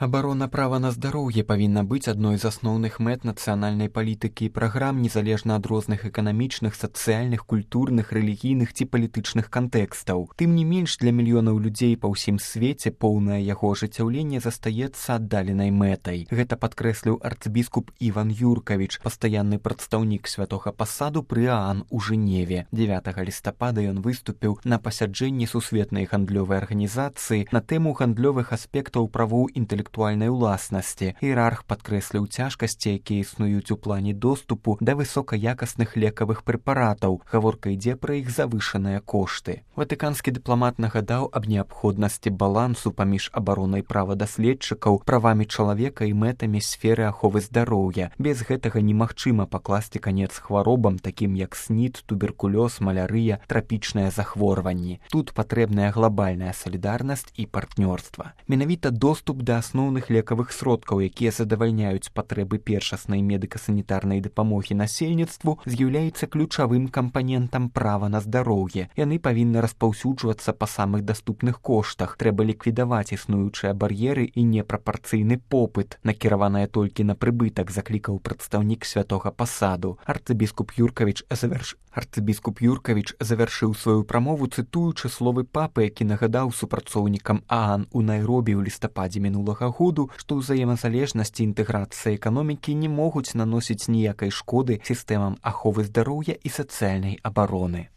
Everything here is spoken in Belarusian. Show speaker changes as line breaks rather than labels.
Абарона права на здароўе павінна быць адной з асноўных мэт нацыянальнай палітыкі і праграм незалежна ад розных эканамічных, сацыяльных, культурных, рэлігійных ці палітычных кантэкстаў. Тым не менш, для мільёнаў людзей па ўсім свеце поўнае яго ажыццяўленне застаецца аддаленай мэтай. Гэта падкрэсліў арцыбіскуп Іван Юркавіч, пастаянны прадстаўнік святога пасаду пры ААН у Жэневе. 9 лістапада ён выступіў на пасяджэнні сусветнай гандлёвай арганізацыі на тэму гандлёвых аспектаў правоў інтэлектуальнай уласнасці. Іерарх падкрэсліў цяжкасці, якія існуюць у плане доступу да высокаякасных лекавых прэпаратаў. Гаворка ідзе пра іх завышаныя кошты. Ватыканскі дыпламат нагадаў аб неабходнасці балансу паміж абаронай права даследчыкаў, правамі чалавека і мэтамі сферы аховы здароўя. Без гэтага немагчыма пакласці канец хваробам, такім як СНІД, туберкулёз, малярыя, трапічныя захворванні. Тут патрэбная глобальная салідарнасць і партнёрства. Менавіта доступ да асноўных лекавых сродкаў, якія задавальняюць патрэбы першаснай медыка-санітарнай дапамогі насельніцтву, з'яўляецца ключавым кампанентам права на здароўе. Яны павінны распаўсюджвацца па самых даступных коштах. Трэба ліквідаваць існуючыя бар'еры і непрапарцыйны попыт, накіраваная толькі на прыбытак, заклікаў прадстаўнік святога пасаду. Арцыбіскуп Юркавіч завяршыў сваю прамову, цытуючы словы папы, які нагадаў супрацоўнікам ААН у Найробі ў лістападзе мінулага году, што ўзаемазалежнасць і інтэграцыя эканомікі не могуць наносіць ніякай шкоды сістэмам аховы здароўя і сацыяльнай абароны.